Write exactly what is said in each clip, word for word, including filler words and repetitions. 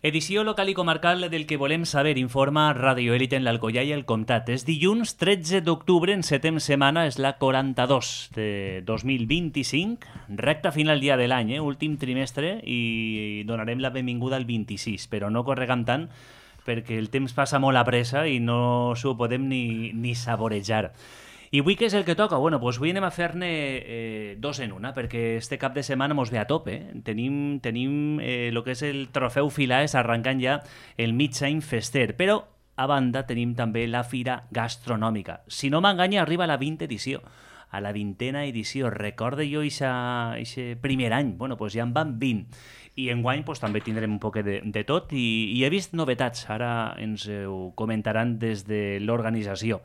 Edició local i comarcal del que volem saber, informa Radio Élite en l'Alcoià i el Comtat. És dilluns tretze d'octubre, en setem setmana, és la quaranta-dos de dos mil vint-i-cinc, recta final dia de l'any, eh? Últim trimestre, i donarem la benvinguda al vint-i-sis, però no corregam tant, perquè el temps passa molt a pressa i no s'ho podem ni, ni saborejar. I avui què és el que toca? Bueno, doncs avui anem a fer-ne eh, dos en una, perquè este cap de setmana mos ve a tope. Eh? Tenim, tenim eh, el que és el trofeu Filaes arrencant ja el mig any fester, però a banda tenim també la Fira Gastronòmica. Si no m'enganya, arriba a la vintena edició, a la vintena edició. Recorde jo aquest primer any, bueno, doncs ja en van vint. I enguany pues, també tindrem un poc de, de tot i, i he vist novetats, ara ens ho comentaran des de l'organització.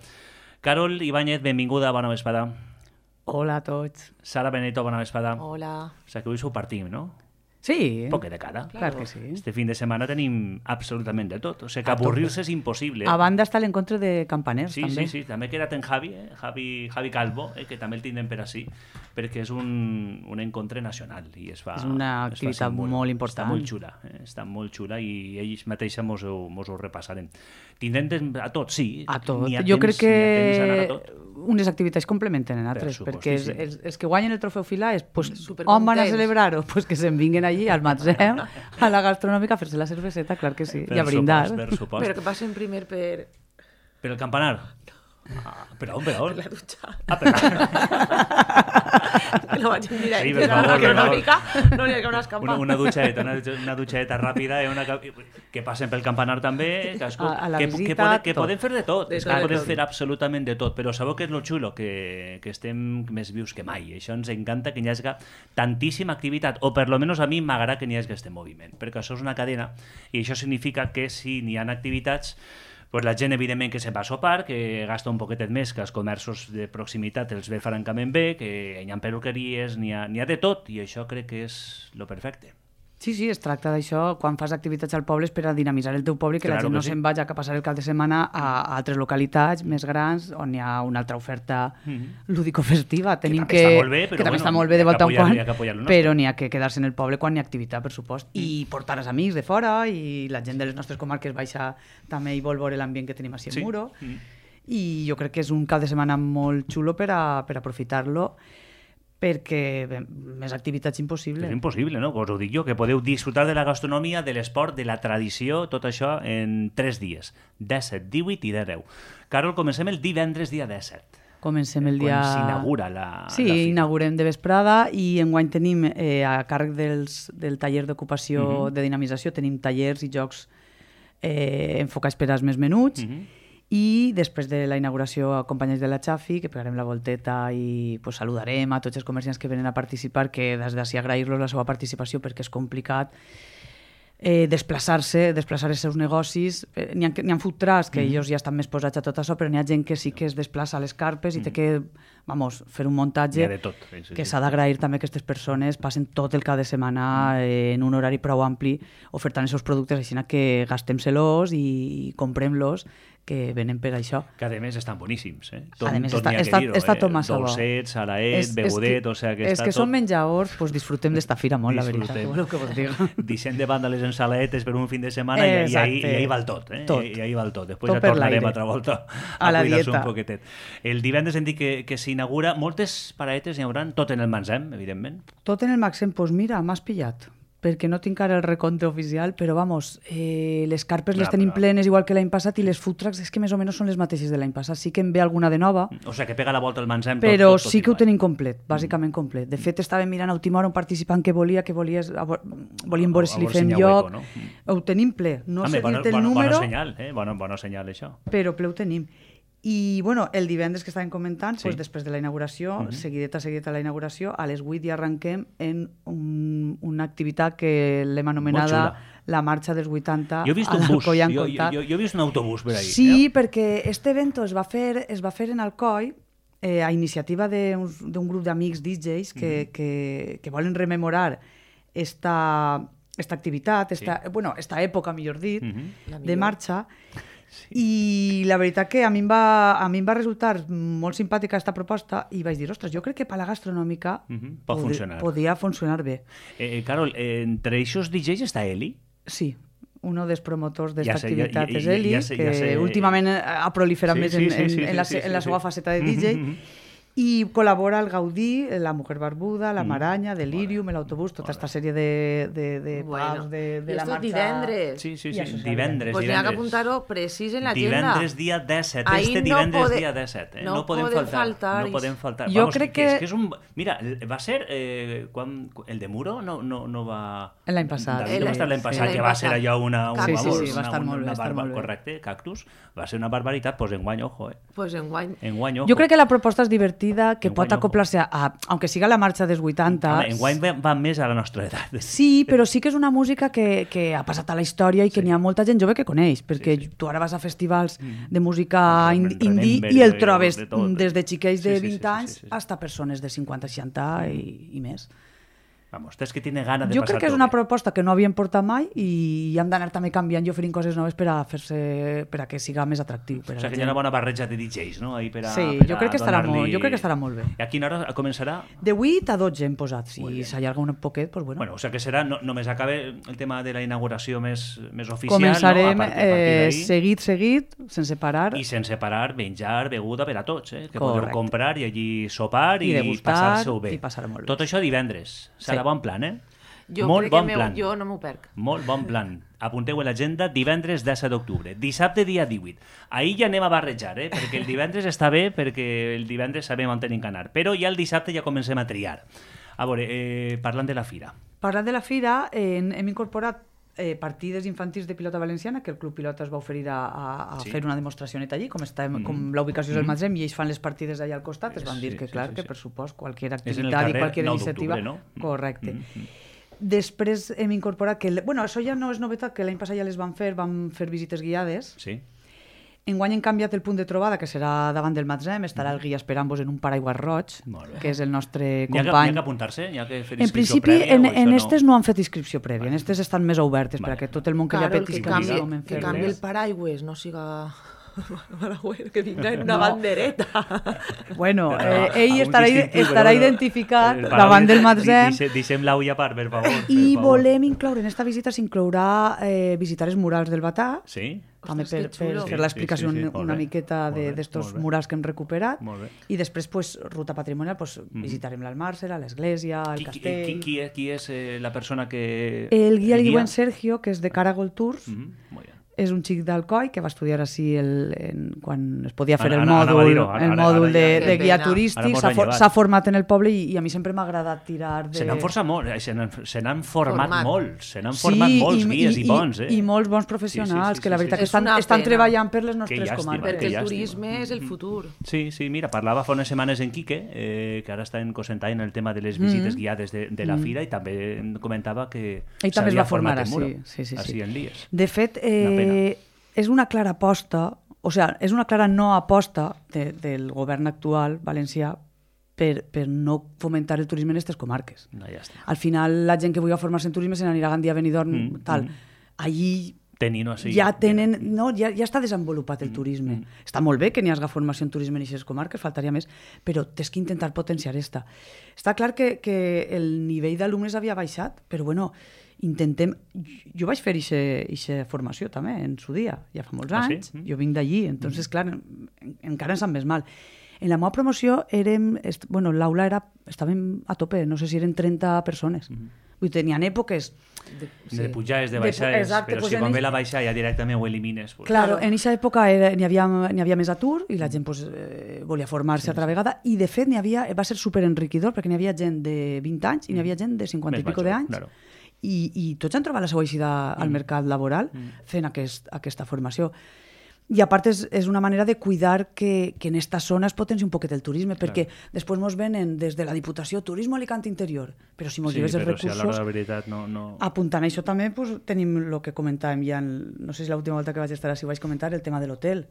Carol Ibáñez, benvinguda, bona vesprada. Hola a tots. Sara Benito, bona vesprada. Hola. O sigui que avui s'ho partim, no? Sí. Un poc de cara. Clar que sí. Este fin de setmana tenim absolutament de tot. O sigui que avorrir-se és impossible. A banda està l'encontre de campaners, sí, també. Sí, sí, també queda't en Javi, eh? Javi, Javi Calvo, eh? Que també el tindrem per així, perquè és un, un encontre nacional. I es fa, és una activitat molt, molt important. Està molt xula, eh? Està molt xula i ells mateixos mos ho, mos ho repassarem. Tindrem temps a tot, sí. A tot. A jo temps, crec que tot. Unes activitats complementen en altres, per perquè els, els, els que guanyen el trofeu Filaes, pues, on van a celebrar-ho? Pues que se'n vinguin allí al Matzem, a la gastronòmica, a fer-se la cerveseta, clar que sí, per i a brindar. Supost, per supost. Però que passen primer per... Per el campanar? Ah, per on, per on? Per la dutxa. Ah, per la... No vaig en directe, sí, sí, la gastronòmica, no n'hi ha que una escampa. Una, una dutxadeta, una, una dutxadeta ràpida, eh, una, que passen pel campanar també, que, a, a la que, visita, que, poden, que poden fer de tot, de que poden fer absolutament de tot, però sabeu que és lo xulo, que, que estem més vius que mai. Això ens encanta, que n'hi hagi tantíssima activitat, o per lo menos a mi m'agrada que n'hi hagi aquest moviment, perquè això és una cadena, i això significa que si n'hi ha activitats, pues la gent, evidentment, que se'n va a sopar, que gasta un poquetet més, que els comerços de proximitat els ve francament bé, que hi ha perruqueries, n'hi ha, n'hi ha de tot, i això crec que és lo perfecte. Sí, sí, es tracta d'això, quan fas activitats al poble és per a dinamitzar el teu poble i que claro la gent no sí. se'n vagi a passar el cap de setmana a, a altres localitats més grans on hi ha una altra oferta mm-hmm. lúdico-festiva. Tenim que, que, bé, que també bueno, està molt bé de volta en quan, però n'hi ha que quedar-se en el poble quan hi ha activitat, per supost, mm. i portar els amics de fora, i la gent de les nostres comarques baixa també i vol veure l'ambient que tenim així al sí. Muro, mm. i jo crec que és un cap de setmana molt xulo per, a, per aprofitar-lo, perquè bé, més activitats impossible. És impossible, no? Us ho dic jo, que podeu disfrutar de la gastronomia, de l'esport, de la tradició, tot això en tres dies, disset, divuit i deu. Carol, comencem el divendres dia disset. Comencem el dia... Quan s'inaugura la, sí, la fira. Sí, inaugurem de vesprada i enguany tenim eh, a càrrec dels, del taller d'ocupació mm-hmm. de dinamització, tenim tallers i jocs eh, enfocats per als més menuts, mm-hmm. i després de la inauguració acompanyats de la Xafi, que pegarem la volteta i pues, saludarem a tots els comerciants que venen a participar, que des d'ací agrair-los la seva participació perquè és complicat eh, desplaçar-se, desplaçar els seus negocis. Eh, n'hi ha, n'hi ha food trucks que mm. ells ja estan més posats a tot això, però n'hi ha gent que sí que es desplaça a les carpes i mm. té que vamos, fer un muntatge tot, sí, sí, que sí. s'ha d'agrair també que aquestes persones passen tot el cap de setmana eh, en un horari prou ampli ofertant els seus productes, així que gastem-se-los i comprem-los, que venen per això. Que a més estan boníssims, eh? Tot, a més tot està, n'hi ha està, que dir-ho, està eh? tot massa bo. Dolcets, salaet, és, begudet, és que, o sigui que és està que tot... són menjadors, pues disfrutem d'esta fira molt, disfrutem. La veritat. Què voleu que vos diga? Deixem de banda les ensalaetes per un fin de setmana i, i, ahí, i ahí va el tot, eh? Tot. I, i ahí va el tot. Després tot ja tornarem l'aire. altra volta a, a la cuidar-se dieta. Un poquetet. El divendres hem dit que, que s'inaugura, moltes paradetes n'hi haurà, tot en el Matzem, evidentment. Tot en el Matzem, doncs pues mira, m'has pillat. Perquè no tinc ara el recompte oficial, però vamos, eh, les carpes Clar, les tenim però... plenes igual que l'any passat i les food trucks és que més o menys són les mateixes de l'any passat. Sí que en ve alguna de nova. O sigui, que pega la volta al Matzem. Però tot, tot, tot sí que igual. Ho tenim complet, bàsicament complet. De fet, estàvem mirant a última hora un participant que volia, que volies, volíem veure si li fem lloc. Hueco, no? Ho tenim ple. No Home, sé bueno, dir-te el bueno, número. Bona senyal, eh? Bona, bona senyal, això. Però ple ho tenim. I, bueno, el divendres que estàvem comentant, sí. pues, després de la inauguració, uh-huh. seguideta, seguideta a la inauguració, a les vuit ja arrenquem en un, una activitat que l'hem anomenada la marxa dels vuitanta. Jo he vist un bus, jo, jo, jo, jo he vist un autobús per ahí. Sí, eh? Perquè este evento es va fer, es va fer en Alcoi, eh, a iniciativa d'un grup d'amics D Js que, uh-huh. que, que volen rememorar esta, esta activitat, esta, sí. bueno, esta època, millor dit, uh-huh. de marxa. Sí. I la veritat que a mi, em va, a mi em va resultar molt simpàtica aquesta proposta i vaig dir, ostres, jo crec que per la gastronòmica uh-huh. Pot pod funcionar. Podia funcionar bé. Eh, Carol, eh, entre aquests D Js està Eli? Sí. uno dels promotors d'aquesta Ja sé, ja- activitat ja- és ja- Eli, ja sé- que ja sé. últimament ha proliferat Sí, més sí, en, sí, en, sí, en, la, sí, en la sí, seva sí. faceta de D J, Mhm. i col·labora el Gaudí, la Mujer Barbuda, la Mm. Maranya, Delirium, l'autobús, tota aquesta sèrie de, de, de Bueno, pubs, de, de i la esto marxa... divendres. Sí, sí, I sí, això és divendres, Pues n'hi ha que divendres. apuntar-ho precís en l'agenda. Divendres dia disset, Ahí este no divendres pode- dia disset, eh? no no, podem podem faltar, faltar, no podem faltar. Jo Vamos, crec que... És que- que és un... Mira, va ser... Eh, quan... El de Muro no, no, no va... L'any passat. David, no va estar l'any Sí. passat, L'any que va ser passat. allò una... una Sí, sí, vamos, sí, va estar una, molt bé, una va estar barba, molt bé. correcte, Cactus, va ser una barbaritat, doncs enguany, ojo, eh? Pues enguany. Enguany, ojo. Jo crec que la proposta és divertida, que Enguany, pot ojo. acoplar-se a, aunque siga la marxa dels vuitanta. Home, enguany va, va més a la nostra edat. Sí, però sí que és una música que, que ha passat a la història i que Sí. n'hi ha molta gent jove que coneix, perquè Sí, sí. tu ara vas a festivals de música Rem- ind- indie Remember i el de- trobes de tot. des de xiquets de Sí, sí, sí, vint sí, anys sí, sí. fins a persones de cinquanta, seixanta i, i més. Vamos, és que tiene gana de Jo passar crec que és una proposta que no havíem portat mai i hem d'anar també canviant i oferint coses noves per a fer-se per a que siga més atractiu. Per O a sigui la que hi ha una gent. bona barreja de D Js, no? Ahí per a, Sí, per jo a crec que estarà donar-li- molt- jo crec que estarà molt bé. I a quina hora començarà? De vuit a dotze hem posat. Si Muy bien. s'allarga un poquet, doncs bueno. Bueno, o sigui que serà, no, només acabe el tema de la inauguració més, més oficial, Començarem no? A partir, a eh, partir d'ahí. seguit, seguit, sense parar. I sense parar, menjar, beguda per a tots, eh? Que Correcte. podeu comprar i allí sopar I i, degustar, passar-se-ho bé. i passar-ho molt bé. Tot això divendres. Serà Sí. bon plan, eh? Jo Molt crec bon que plan. meu, jo no m'ho perc. Molt bon plan. Apunteu a l'agenda divendres disset d'octubre. Dissabte dia divuit. Ahir ja anem a barrejar, eh? Perquè el divendres està bé, perquè el divendres sabem on tenim que anar. Però ja el dissabte ja comencem a triar. A veure, eh, parlant de la fira. Parlant de la fira, eh, hem incorporat eh, partides infantils de pilota valenciana, que el Club Pilota es va oferir a, a, a Sí. fer una demostració neta allí, com, està, Mhm. com la ubicació és el Mhm. Matzem, i ells fan les partides allà al costat, es van dir Sí, que, sí, clar, sí, que sí. per supost, qualsevol És en el activitat i carrer qualsevol nou iniciativa... d'octubre, no? Correcte. Mhm. Després hem incorporat que... Bueno, això ja no és novetat, que l'any passat ja les van fer, van fer visites guiades. Sí? Enguany hem canviat el punt de trobada, que serà davant del Matzem, estarà el guia esperant-vos en un paraigües roig, Molt bé. que és el nostre N'hi ha, que- n'hi company. ha que apuntar-se? N'hi ha que fer En inscripció principi, prèvia en, o això en no? estes no han fet inscripció prèvia, en estes estan més obertes, Vale. perquè tot el món que Claro, li el apetisca que canvi, visitar, que fer canvi el res. paraigües, no siga... Paraigües, que vinga en una No. bandereta. Bueno, No, eh, ell algun estarà, distintiu, estarà però no. identificat El davant del paraigües, Matzem. deixe- Deixem l'aulla a part, per favor. per I favor. volem incloure, en esta visita s'inclourà eh, visitar els murals del Batà, Sí? també Ostres, per, que per xulo. fer Sí, l'explicació sí, sí, sí. una, Molt una bé, miqueta molt bé, d'estos molt bé. murals que hem recuperat. Molt bé. I després, pues, ruta patrimonial, pues, visitarem l'Almàrsera, l'església, el Qui, qui, castell... qui, qui, és, qui és eh, la persona que... El guia el diuen Sergio, que és de Caragol Tours. Mhm, Molt bé. És un xic d'Alcoi que va estudiar així el, en, quan es podia fer Ara- el ara- ara va mòdul, dir-ho, ara- el ara- mòdul ara de, ja- de Que guia pena. Ara turístic, mos s'ha ha for, llevat. s'ha format en el poble i, i a mi sempre m'ha agradat tirar de... Se n'han forçat molt, eh, se n'han se n'han format, Format. molts, se n'han format molts guies i, bons, eh? I, i molts bons professionals, Sí, sí, sí, que la sí, veritat sí. que És estan, una estan pena. treballant per les Que nostres llàstima, comarques. Perquè que el llàstima. turisme és el futur. Sí, sí, mira, parlava fa unes setmanes en Quique, eh, que ara està en cosentant el tema de les visites guiades de, de la fira, i també em comentava que Ell també es s'havia va formar format en així, Muro, sí, sí, sí. així en Lies. De fet, Una eh, és una clara aposta, o sea, és una clara no aposta de, del govern actual valencià per, per no fomentar el turisme en aquestes comarques. No, ja està. Al final, la gent que vulgui formar-se en turisme se n'anirà a Gandia, Benidorm, Mm, tal. mm. Allí Tenint-ho així. ja tenen... No, ja, ja està desenvolupat el turisme. Està molt bé que n'hi hagi formació en turisme en aquestes comarques, faltaria més, però tens que intentar potenciar esta. Està clar que, que el nivell d'alumnes havia baixat, però bueno, intentem... Jo vaig fer aquesta formació també, en su dia, ja fa molts Ah, sí? anys. Jo vinc d'allí, entonces, clar, en, encara ens sap més mal. En la meva promoció érem... est- Bueno, l'aula era... Estàvem a tope, no sé si eren trenta persones. Vull dir, tenien èpoques... De pujades, de De pu- baixades, exacte, però pues si en quan ell- ve la baixa ja directament ho elimines. Pues. Claro, Claro. en aquesta època era- n'hi havia, n'hi havia més atur i la gent pues, eh, volia formar-se sí, altra vegada, i de fet n'hi havia, va ser superenriquidor perquè n'hi havia gent de vint anys i n'hi havia gent de cinquanta Més i pico major, d'anys, claro. i, i tots han trobat la seva eixida al mercat laboral fent aquest, aquesta formació. I a part és, és una manera de cuidar que, que en esta zona es potenci un poquet el turisme, perquè després mos venen des de la Diputació Turisme Alicante Interior, però si mos Sí, lleves els però si a l'hora recursos... de la veritat no... no... Apuntant a això també pues, tenim el que comentàvem ja, en, no sé si l'última volta que vaig estar així ho vaig comentar, el tema de l'hotel.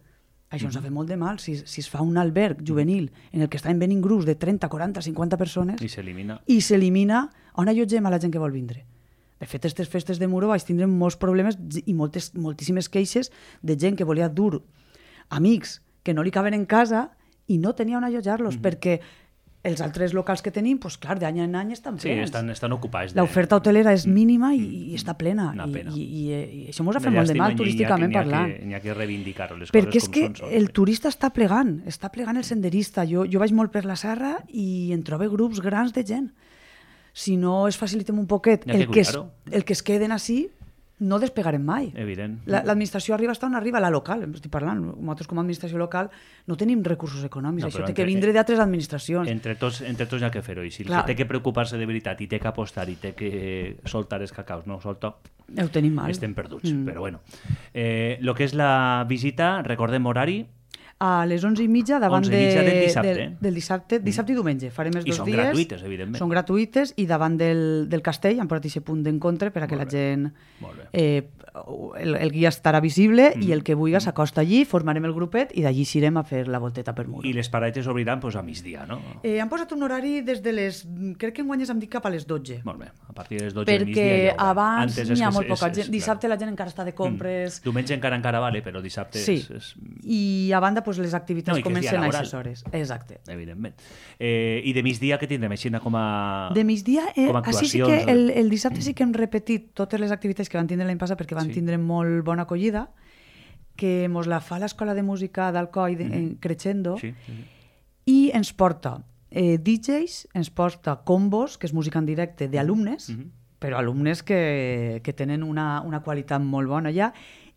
Això ens ha fet molt de mal. Si, si es fa un alberg juvenil en el que estan venint grups de trenta, quaranta, cinquanta persones I s'elimina. i s'elimina, on allotgem a la gent que vol vindre? De fet, aquestes festes de Muro vaig tindre molts problemes i moltes, moltíssimes queixes de gent que volia dur amics que no li caben en casa i no tenia on allotjar-los, mm-hmm. perquè els altres locals que tenim, pues, clar, d'any en any estan Sí, plens. estan, estan ocupats. De... L'oferta hotelera és mínima i, i està plena. Una pena. I, i, i, i això ens ha fet molt de mal turísticament parlant. N'hi ha que reivindicar les Perquè coses és que com són. el turista està plegant, està plegant el senderista. Jo, jo vaig molt per la serra i en trobo grups grans de gent. Si no es facilitem un poquet N'hi ha que el que, es, cuidar-ho. el que es queden així, no despegarem mai. Evident. La- L'administració arriba està on arriba, la local, estic parlant. Nosaltres com a administració local no tenim recursos econòmics, No, això però té entre- que vindre d'altres administracions. Entre tots, entre tots hi ha que fer-ho. I si el Clar. que té que preocupar-se de veritat i té que apostar i té que soltar els cacaus, no solta, Ho tenim mal. estem perduts. Mm. Però bueno. Eh, lo que és la visita, recordem horari, A les onze i mitja davant onze i mitja de, del dissabte. del, del dissabte, dissabte i diumenge. Farem els I dos són dies. gratuïtes, evidentment. Són gratuïtes i davant del, del castell han posat aquest punt d'encontre per a que Molt la bé. gent... Molt bé. Eh, el, el guia estarà visible mm. i el que vulgui s'acosta allí, formarem el grupet i d'allí irem a fer la volteta per Muro. i les paradetes obriran pues, a migdia, no? Eh, han posat un horari des de les... Crec que enguany hem dit cap a les dotze. Molt bé, a partir de les dotze del Perquè migdia ja ho va. abans Antes és n'hi ha que molt és- poca és- gent. és- Dissabte clar. la gent encara està de compres... Mm. Diumenge encara encara vale, però dissabte Sí, és, és... i a banda pues, les activitats No, i que és comencen dia a laboral. aquestes hores. Exacte. Evidentment. Eh, I de migdia què tindrem així com a... De migdia, eh, com a així sí actuacions, que el, el dissabte sí que hem repetit totes les activitats que van tindre l'any passat perquè van Sí. tindre molt bona acollida, que mos la fa l'Escola de Música d'Alcoi de, en Crescendo Sí, sí, sí. i ens porta eh, D Js, ens porta combos, que és música en directe d'alumnes, Mhm. però alumnes que, que tenen una, una qualitat molt bona ja,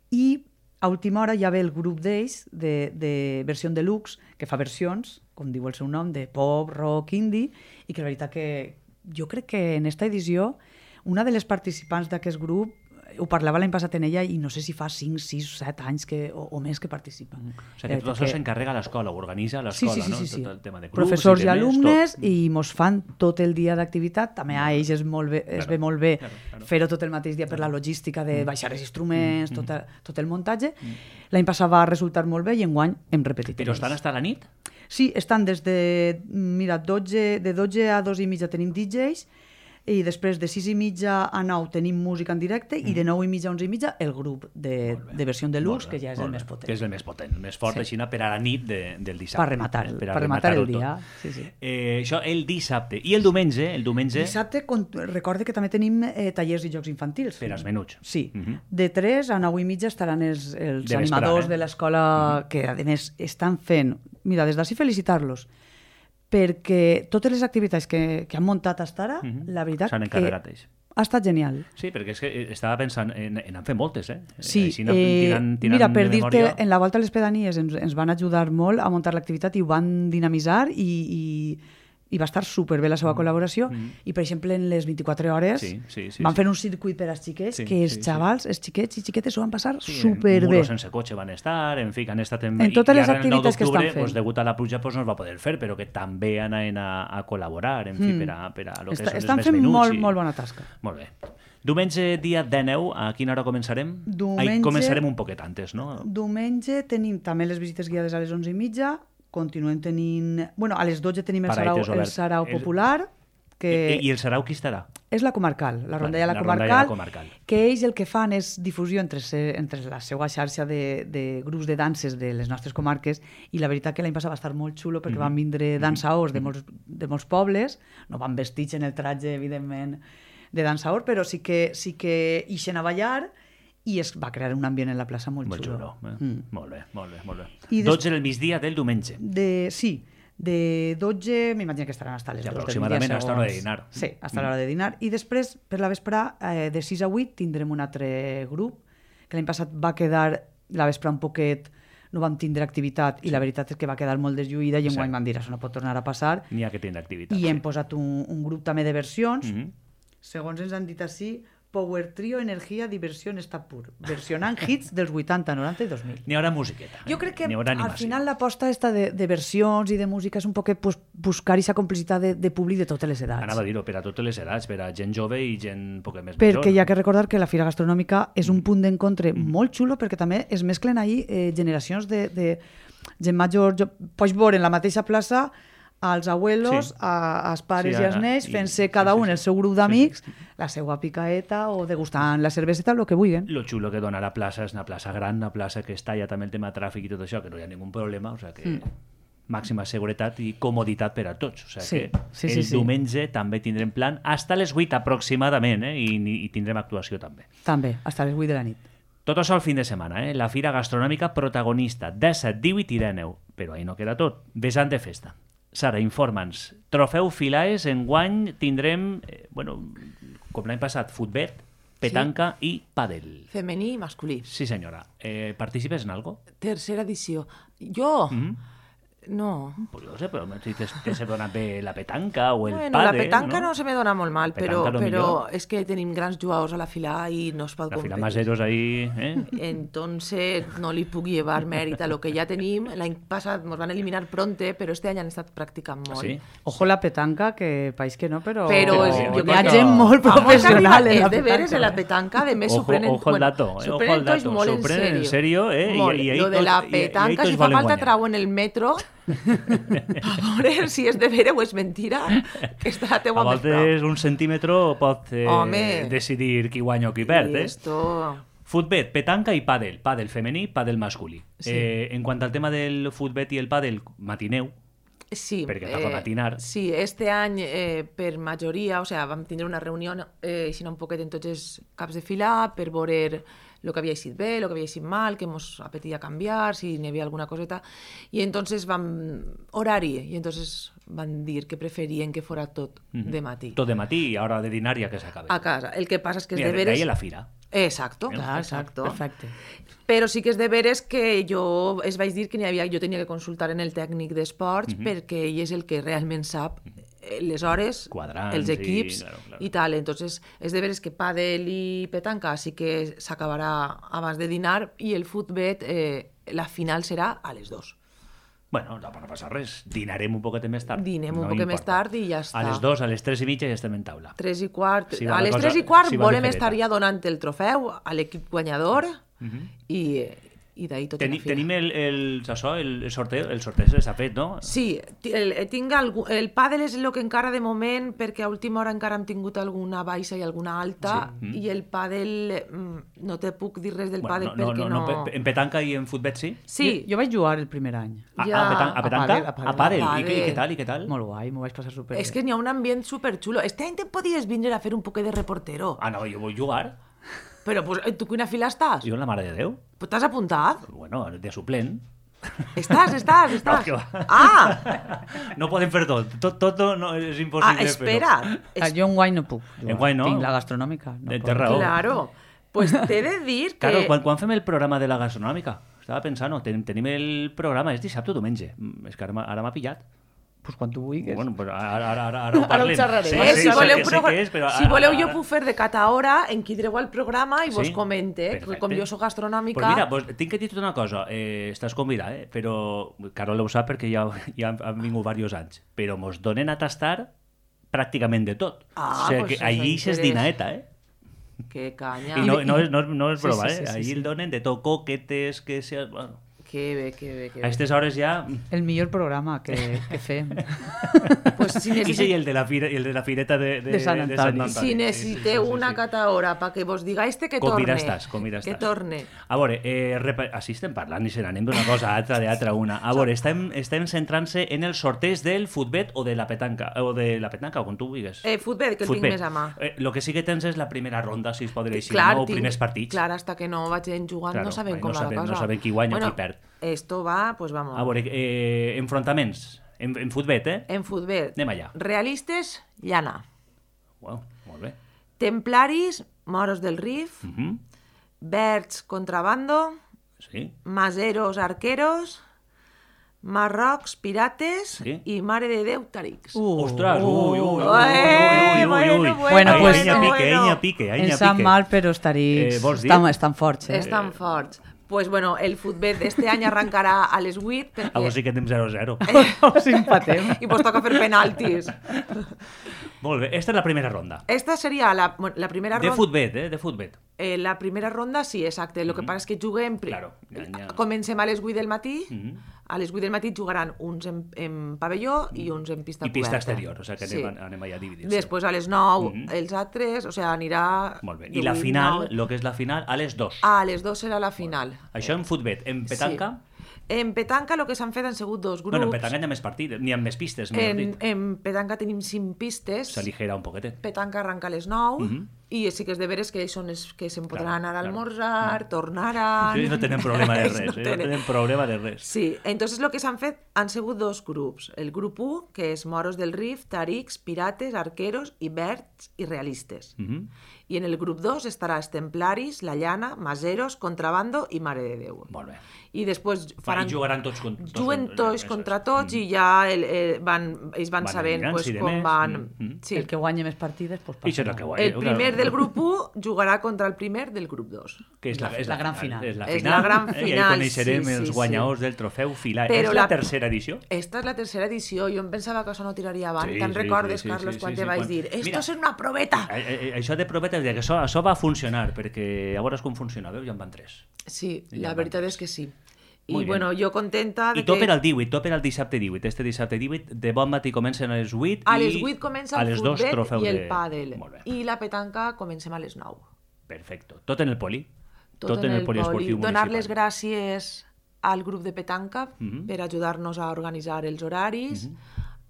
i a última hora ja ve el grup d'ells de, de versió deluxe, que fa versions, com diu el seu nom, de pop, rock, indie, i que la veritat que jo crec que en esta edició una de les participants d'aquest grup ho parlava l'any passat en ella i no sé si fa cinc, sis, set anys que, o, o més que participa. O sigui, que tot això s'encarrega a l'escola, ho organitza a Sí, l'escola, sí, sí, sí, sí. no? Tot el tema de grups Professors i, demés, alumnes tot. i mos fan tot el dia d'activitat. També a ells es, molt bé, es Claro, ve molt bé claro, claro. fer-ho tot el mateix dia per la logística de baixar els instruments, Mm, tot, el, tot el muntatge. L'any passat va resultar molt bé i enguany hem repetit. Però amb estan ells. hasta la nit? Sí, estan des de, mira, dotze, de dotze a dos i mitja tenim D Js i després de sis i mitja a nou tenim música en directe i de nou i mitja a onze i mitja el grup de, de versió deluxe, que ja és el més potent. Que és el més potent, el més fort, Sí. així per a la nit de, del dissabte. Per rematar, eh, per a rematar el rematar-ho dia. tot. Sí, sí. Eh, això el dissabte. I el diumenge, el diumenge Dissabte, con- recorde que també tenim eh, tallers i jocs infantils. per als menuts. Sí, Mhm. de tres a nou i mitja estaran els, els De vesprada, animadors eh? de l'escola que, a més, estan fent... Mira, des d'ací felicitar-los, perquè totes les activitats que, que han muntat fins ara, Mhm. la veritat S'han que encarregat ells. ha estat genial. Sí, perquè és que eh, estava pensant en, en en fer moltes, eh? Sí, Així no, eh, tirant, tirant mira, per de dir-te, memòria. en la volta a les pedanies ens, ens van ajudar molt a muntar l'activitat i ho van dinamitzar i, i, i va estar superbé la seva col·laboració i, per exemple, en les vint-i-quatre hores Sí, sí, sí, van sí. fer un circuit per als xiquets Sí, que els sí, sí. xavals, els xiquets i xiquetes ho van passar Sí, superbé. muros sense cotxe van estar, en fi, que han estat en... En totes i les ara el nou activitats que estan d'octubre, fent. Pues, degut a la pluja pues, no es va poder fer, però que també anaven a, a col·laborar, en fi, per a, per a lo que Està, són estan els fent més menuts. molt, i... molt bona tasca. Molt bé. Diumenge, dia dinou, a quina hora començarem? Diumenge- Ai, començarem un poquet antes, no? Diumenge tenim també les visites guiades a les onze i mitja, continuem tenint... Bueno, a les dotze tenim el sarau, Paraetes el obert. sarau El- popular, que... I, I el sarau qui estarà? És la comarcal, la rondalla la la rondalla comarcal, comarcal. que ells el que fan és difusió entre, se, entre la seva xarxa de, de grups de danses de les nostres comarques i la veritat que l'any passat va estar molt xulo perquè Mhm. van vindre dansaors de molts, de molts pobles, no van vestits en el tratge, evidentment, de dansaor, però sí que, sí que ixen a ballar i es va crear un ambient en la plaça molt, Molt xulo. xulo. Eh? Mm. Molt bé, molt bé, molt bé. I des- dotze del migdia del diumenge. De, sí, de dotze, m'imagino que estaran hasta les I dues del aproximadament migdia, hasta l'hora de segons- dinar. Sí, hasta l'hora de dinar. I després, per la vesprà, eh, de sis a vuit, tindrem un altre grup, que l'any passat va quedar la vesprà un poquet, no vam tindre activitat, i la veritat és que va quedar molt deslluïda, i enguany Sí. van dir, això no pot tornar a passar, N'hi ha que tindre activitat. i hem sí. posat un, un grup també de versions, Mhm. segons ens han dit així, Power Trio, Energia, Diversió, Estat Pur, versionant hits dels vuitanta, noranta i dos mil. N'hi haurà musiqueta. eh? Jo crec que N'hi haurà al animació. final l'aposta esta de, de versions i de música és un poquet pues, buscar aquesta complicitat de, de públic de totes les edats. Anava a dir-ho, per a totes les edats, per a gent jove i gent poc més Perquè major. hi ha que recordar que la Fira Gastronòmica és un punt d'encontre molt xulo perquè també es mesclen ahir eh, generacions de, de gent major. Jo, pots veure en la mateixa plaça als abuelos, Sí. a, als pares Sí, i als a- nens, i- fent-se sí, cada sí, un sí. el seu grup d'amics, la seva picaeta o degustant la cerveseta, el que vulguin. Lo xulo que dona la plaça és una plaça gran, una plaça que està ja també el tema tràfic i tot això, que no hi ha ningú problema, o sigui que... Mm. màxima seguretat i comoditat per a tots. O sigui Sí, que sí, el sí, sí. diumenge també tindrem plan hasta les vuit aproximadament, eh? I, i tindrem actuació també. També, fins a les vuit de la nit. Tot això al fin de setmana, eh? La fira gastronòmica protagonista, disset, divuit i dinou. Però ahí no queda tot. Vessant de festa. Sara, informa'ns. Trofeu Filaes, enguany tindrem, eh, bueno, com l'any passat, futbet, petanca sí. i pàdel. Femení i masculí. Sí, senyora. Eh, participes en algo? Tercera edició. Jo? Mm? No. Pues no sé, però si te, te se dona bé la petanca o el Bueno, pàdel, la petanca no? no se me dona molt mal, però, Petanca lo però millor. és que tenim grans jugadors a la fila i no es pot La fila competir. maseros ahí, eh? Entonces no li puc llevar mèrit a lo que ja tenim. L'any passat ens van eliminar pronte, però este any han estat practicant molt. Sí? Ojo la petanca, que país que no, però... Però és- hi jo ha crec que- gent molt Vamos professional arriba, en la és de veres petanca. en la petanca, de més s'ho Ojo, prenen, ojo el dato, eh? s'ho Ojo prenen el tots dato. molt S'ho en prenen en sèrio. serio, eh? I- Molt. i ahí Lo de tots- la i- i ahí petanca, tots si fa volen falta guanyar. trau en el metro, a veure si és de veure o és mentira, que està la A teua més prop. voltes un centímetre pot eh, Home. decidir qui guanya o qui perd, I eh? esto... Futbet, petanca i pàdel. Pàdel femení, pàdel masculí. Sí. Eh, en quant al tema del futbet i el pàdel, matineu. Sí, Perquè toca matinar. Sí, este any eh, per majoria, o sea, vam tindre una reunió eh, així un poquet en tots els caps de fila per veure el que havia eixit bé, el que havia eixit mal, què mos apetia canviar, si n'hi havia alguna coseta. I entonces vam... horari, i entonces van dir que preferien que fora tot de matí. Tot de matí i a hora de dinar ja que s'acabe. A casa. El que passa és que és Mira, de veres... d'ahí a la fira. Exacto, Clar, exacto. perfecte. Però sí que és de veres que jo es vaig dir que n'hi havia, jo tenia que consultar en el tècnic d'esports Mhm. perquè ell és el que realment sap eh, les hores, Quadrants els i- equips i, claro, claro. tal. Entonces, és de veres que pàdel i petanca sí que s'acabarà abans de dinar i el futbet, eh, la final serà a les dues. Bueno, no, no passa res. Dinarem un poquet més tard. Dinem un No poquet importa. més tard i ja està. A les dos, a les tres i mitja ja estem en taula. Tres i quart. Si va a la les cosa- tres i quart si va volem ligereta. estar ja donant el trofeu a l'equip guanyador i, i d'ahir tot Teni, en la fila. tenim el, el, això, el, el sorteo, el sorteo s'ha fet, no? Sí, ti- el, tinc algú, el pàdel és el que encara de moment, perquè a última hora encara hem tingut alguna baixa i alguna alta, Sí. Mm. i el pàdel, mm, no te puc dir res del Bueno, pàdel no, no, perquè no, no... no, pe- en petanca i en futbet sí? Sí, Jo, jo vaig jugar el primer any. A, Ja. a, petan a petanca? A pàdel, a A pàdel. pàdel. I, què- i què tal? I què tal? Molt guai, m'ho vaig passar super és que n'hi ha un ambient superxulo. Este any te podies vindre a fer un poquet de reportero. Ah, no, jo vull jugar. Però pues, eh, tu quina fila estàs? Jo en la mare de Déu. Pues t'has apuntat? Bueno, de suplent. Estàs, estàs, estàs. que va. Ah, No podem fer tot. Tot, tot no, no és ah, impossible espera. Ah, jo en guany no puc. jugar. Enguany no? Tinc la gastronòmica. No Té puc. raó. Claro. Pues t'he de dir que... Claro, quan, quan fem el programa de la gastronòmica? Estava pensant, no, ten, tenim el programa, és dissabte o diumenge. Mm, És que ara m'ha ara m'ha pillat. Pues quan tu vulguis. Bueno, pues ara, ara, ara, ara ho Ara ho parlem. xerrarem. Sí, Eh, sí, si, sé voleu, que- sé progra- que és, però si ara- voleu jo ara- puc fer de cata hora, enquidreu al programa i vos Sí? comente, que Perfecte. com jo sóc gastronòmica... Pues mira, pues, tinc que dir-te una cosa. Eh, estàs convidat, eh? Però Carol ho sap perquè ja, ja han, han vingut diversos anys. Però mos donen a tastar pràcticament de tot. Ah, o sigui pues que això allí és interessa. dinaeta, eh? Que canya. I no, no, és, no, és- no és Sí, broma, sí, sí, eh? sí, Allí sí. el donen de tot, coquetes, que sea... Bueno, Que bé, que bé, que a bé. aquestes hores ja... El millor programa que, que fem. Pues si, I sí, necessit... i el de la, fira, i el de la fireta de, de, De Sant Antoni. si necessiteu una cata hora para que vos digáis que Convida torne. estàs, convida Que estàs. torne. A veure, eh, repa... així estem parlant i se n'anem d'una cosa a altra, de altra a una. A veure, estem, estem centrant-se en el sorteig del futbet o de la petanca, o de la petanca, o com tu vulguis. Eh, futbet, que el tinc més a mà. Eh, lo que sí que tens és la primera ronda, si es pot dir així, Clar, no? O tinc- primers partits. Clar, hasta que no vagin jugant Claro, no sabem ahí com no va sabem- la cosa. no sabem qui guanya o bueno, qui perd. Esto va, pues vamos. A veure, eh, enfrontaments. En, en futbet, eh? En futbet. Anem allà. Realistes, llana. Wow, molt bé. Templaris, moros del Rif. Uh -huh. Verds, contrabando. Sí. Maseros, arqueros. Marrocs, pirates. Sí. I Mare de Déu, tarics. Uh, Ostres, ui, ui, ui, ui, Eh, ui, ui, ui, bueno, ui. bueno, Ai, pues- Anya pique, bueno. anya pique, anya Ens sap pique. mal, però estarics Eh, vols dir? estan, estan forts. Eh? Estan forts. Pues bueno, el futbet d'este any arrencarà a les vuit perquè... Ah, pues sí que anem zero zero. Us empatem. I vos toca fer penaltis. Molt bé, esta és la primera ronda. Esta seria la, bueno, la primera De ronda. futbet, eh? De futbet. Eh, la primera ronda, sí, exacte. El que passa és que juguem... pri- Claro, ja, ja. Comencem a les vuit del matí. Mhm. A les vuit del matí jugaran uns en, en pavelló i uns en pista I pista coberta. exterior, o sigui que anem, anem allà a dividir-se. Després a les nou Mhm. els altres, o sigui, anirà... Molt bé. de I la vuit, final, nou- el que és la final, a les dos. Ah, a les dos serà la final. Això en futbet. En petanca? Sí. En petanca el que s'han fet han sigut dos grups. Bueno, en petanca hi ha més partides, n'hi ha més pistes, millor dit. En petanca tenim cinc pistes. S'aligera un poquetet. Petanca arranca a les nou, uh -huh. i sí que és de veres que ells són els que se'n podran anar a almorzar, tornaran... Ells no tenen problema de res, no, tenen... no tenen problema de res. Sí, entonces el que s'han fet han sigut dos grups. El grup u, que és moros del Rif, tarics, pirates, arqueros, iberts i realistes. Uh -huh. I en el grup dos estarà els templaris, la llana, maseros, contrabando i mare de Déu. Molt bé. I després faran... I jugaran tots contra tots. Juguen tots contra tots, mm. i ja el, el, van, ells van, van sabent pues, com més. van... Mm. Sí. El que guanya més partides, pues, I serà que guanya. El primer del grup u jugarà contra el primer del grup dos. Que és la, és la, la gran final. És la, és la gran final. I ahí coneixerem sí, sí, els guanyadors sí. del trofeu Filà. Però és la, la tercera edició? Esta és la tercera edició. Jo em pensava que això no tiraria avant. Sí, Te'n sí, recordes, sí, sí, Carlos, sí, quan sí, te sí, vaig quan... dir esto és una proveta? Això de proveta, que això, això va funcionar, perquè a veure com funciona, veus? Ja en van tres. Sí, la veritat és que sí. I bueno, jo contenta... I tot per al divuit, tot per al dissabte divuit. Este dissabte divuit, de bon matí comencen a les vuit a les vuit comença el futbol i el de... pàdel. I la petanca comencem a les nou. Perfecte. Tot en el poli? Tot, tot en el, el poliesportiu municipal. Donar les gràcies al grup de petanca uh -huh. per ajudar-nos a organitzar els horaris, uh -huh.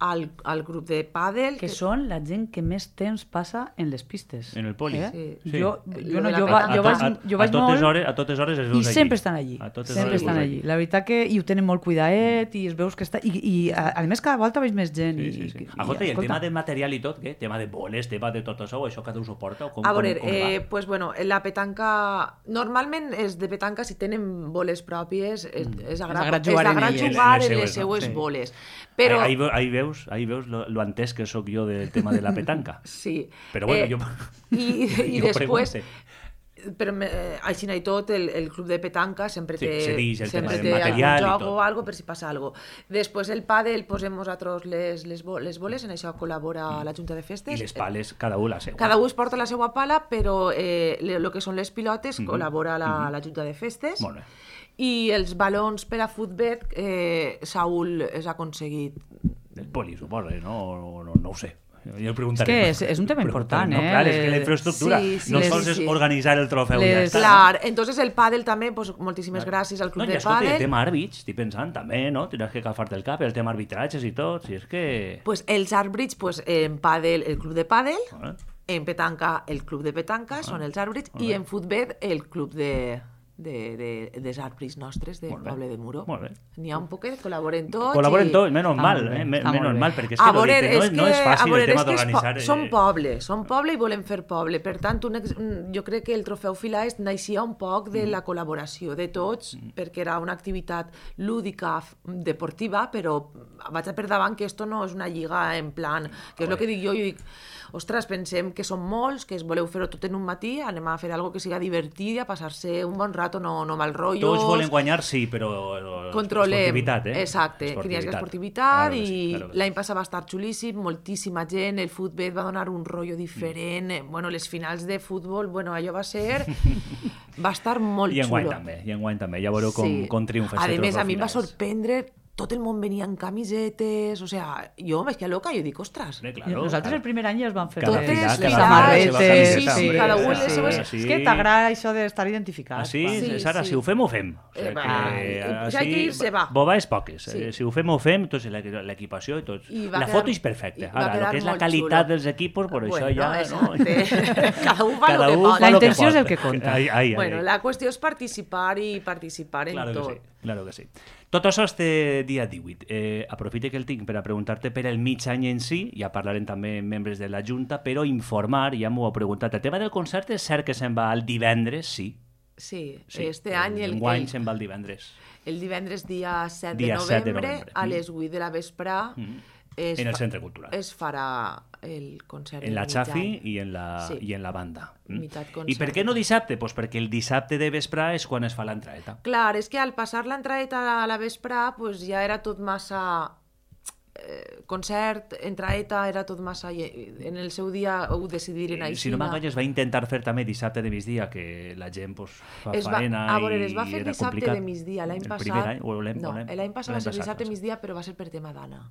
al, al grup de pàdel... Que, que són la gent que més temps passa en les pistes. En el poli. Eh? Sí. Sí. Jo, jo, no, jo, va, jo, vaig, jo vaig a totes molt... Hores, a totes hores es veus I sempre estan allí. Sempre estan allí. La veritat que i ho tenen molt cuidaet i es veus que està... I, i a, a més cada volta veig més gent. Sí, sí, sí. I, Agota, i, i el tema de material i tot, què? Tema de boles, tema de tot això, això cada un suporta? O com, a veure, com, com eh, pues bueno, la petanca... Normalment és de petanca, si tenen boles pròpies, és, és agrat jugar, és agrat jugar en les seues no? boles. Però... Ahí, ahí veus, ahí veus lo, lo entès que sóc jo del tema de la petanca. Sí. Però bueno, eh, jo... I, i jo després... Però eh, així i tot, el, el club de petanca sempre té, sí, dix, sempre té material algun joc o algo per si passa algo. Després el pàdel, posem nosaltres les, les, les boles, en això col·labora mm. la Junta de Festes. I les pales, cada un la seva. Cada un es porta la seva pala, però eh, el que són les pilotes mm -hmm. col·labora la, mm -hmm. la Junta de Festes. Molt bé. I els balons per a futbol, eh, Saúl has aconseguit... El poli, suposo, no, no, no ho sé. Jo el preguntaré. És que és, és un tema important, eh? No, clar, és que la infraestructura sí, sí, no les, sols és sí. organitzar el trofeu les, ja està. Clar, entonces el pàdel també, pues, moltíssimes clar. gràcies al club no, de escolta, pàdel. El tema àrbits, estic pensant, també, no? Tindràs que agafar-te el cap, el tema arbitratges i tot, si és que... Pues els àrbits, pues, en pàdel, el club de pàdel, ah. en petanca, el club de petanca, ah. són els àrbits, ah. i en futbol, el club de... de, de, dels àrbits nostres del poble de Muro. N'hi ha un poquet, col·laboren tots. Col·laboren i... tots, menys mal, eh? menys mal, perquè és que, veure, no, és, no és fàcil veure, el tema d'organitzar. Po som poble, som poble i volem fer poble. Per tant, un, jo crec que el trofeu Filà naixia un poc de la col·laboració de tots, mm. perquè era una activitat lúdica, deportiva, però vaig a per davant que esto no és una lliga en plan, que és el que dic jo, jo dic, ostres, pensem que som molts, que es voleu fer-ho tot en un matí, anem a fer algo que siga divertit, a passar-se un bon rato, no, no mal rotllos. Tots volen guanyar, sí, però controlem, esportivitat, eh? Exacte, esportivitat. Que hi hagi esportivitat, claro, i sí, claro. L'any passat va estar xulíssim, moltíssima gent, el futbol va donar un rotllo diferent, mm. bueno, les finals de futbol, bueno, allò va ser... va estar molt I en guany xulo. també, i en guany també, ja veureu com, sí. com triomfa. A més, a mi em va sorprendre... Tot el món venia en camisetes, o sea, jo me quedé loca, jo dic, ostres. Sí, claro, nosaltres claro. El primer any ja es van fer totes les, les samarretes, sí, sí, sí, cada un les seves... És que t'agrada això d'estar identificat. Ah, sí? sí, Sara, sí. Si ho fem, ho fem. O sigui, eh, va, que, si hay que irse, va. Bobades poques. Sí. Si ho fem, ho fem, doncs l'equipació i tot. I la foto és perfecta. Ara, el que és la qualitat xulo. Dels equipos, per bueno, això ja... No? Cada un fa el que pot. La intenció és el que compta. Ai, ai, ai. Bueno, la qüestió és participar i participar en claro tot. Que sí, claro que sí. Tot això este dia divuit. Eh, aprofite que el tinc per a preguntar-te per el mig any en si, ja parlarem també membres de la Junta, però informar, ja m'ho he preguntat. El tema del concert és cert que se'n va el divendres, sí. Sí, sí. Este any... El, Enguany se'n va el divendres. El divendres dia set de dia novembre, set de novembre. a les vuit de la vesprà, mm. es en el Centre Cultural. Es farà el concert. En la Chafi i en la, sí. i en la banda. Mm. I per què no dissabte? Pues perquè el dissabte de vesprà és quan es fa l'entraeta. Clar, és que al passar l'entraeta a la vesprà pues ja era tot massa... Eh, concert, entraeta, era tot massa... En el seu dia ho decidiren així. Si no m'enganyes, va intentar fer també dissabte de migdia, que la gent pues, fa es va, faena a veure, i es va fer era dissabte complicat. de migdia. L'any passat... Any, no, l'any passat va ser dissabte de migdia, però va ser per tema d'Anna.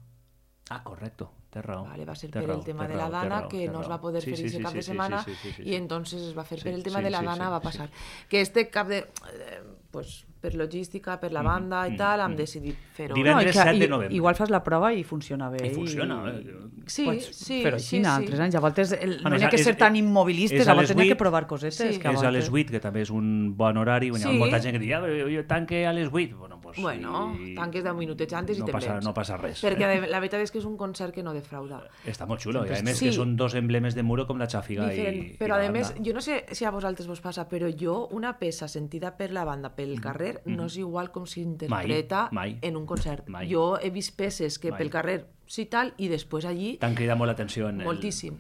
Ah, correcte, té raó. Vale, va ser per raó, el tema de la Dana, que no es va poder sí, fer sí, ese cap sí, de setmana, sí, sí, sí, sí, i entonces es va fer sí, per el tema sí, de la sí, Dana, sí, va passar. Sí. Que este cap de... Eh, pues, per logística, per la banda i tal, hem decidit fer-ho. Divendres No, i que- set de i- novembre. Igual fas la prova i funciona bé. I funciona, eh? Sí, Pots sí, fer-ho sí, així, sí. altres anys. A voltes el, Bueno, no hi és ha a- que ser és- tan és immobilistes, a a les voltes n'hi ha vuit. que provar cosetes. Sí. Que a És a les voltes- vuit, que també és un bon horari. Hi ha Sí. molta gent que diu, ah, jo, jo tanque a les vuit. Bueno, pues, Bueno, i- tanques deu minutets antes i no te'n passa, vens. no passa res. Perquè eh? de- la veritat és que és un concert que no defrauda. Està molt xulo, i a més Sí. que són dos emblemes de Muro com la xàfiga Diferent. i, Però i la a més, banda. jo no sé si a vosaltres vos passa, però jo una peça sentida per la banda pel carrer no és igual com s'interpreta Mai, mai. en un concert. Mai. Jo he vist peces que Mai. pel carrer sí tal i després allí T'han cridat molt l'atenció en el... moltíssim.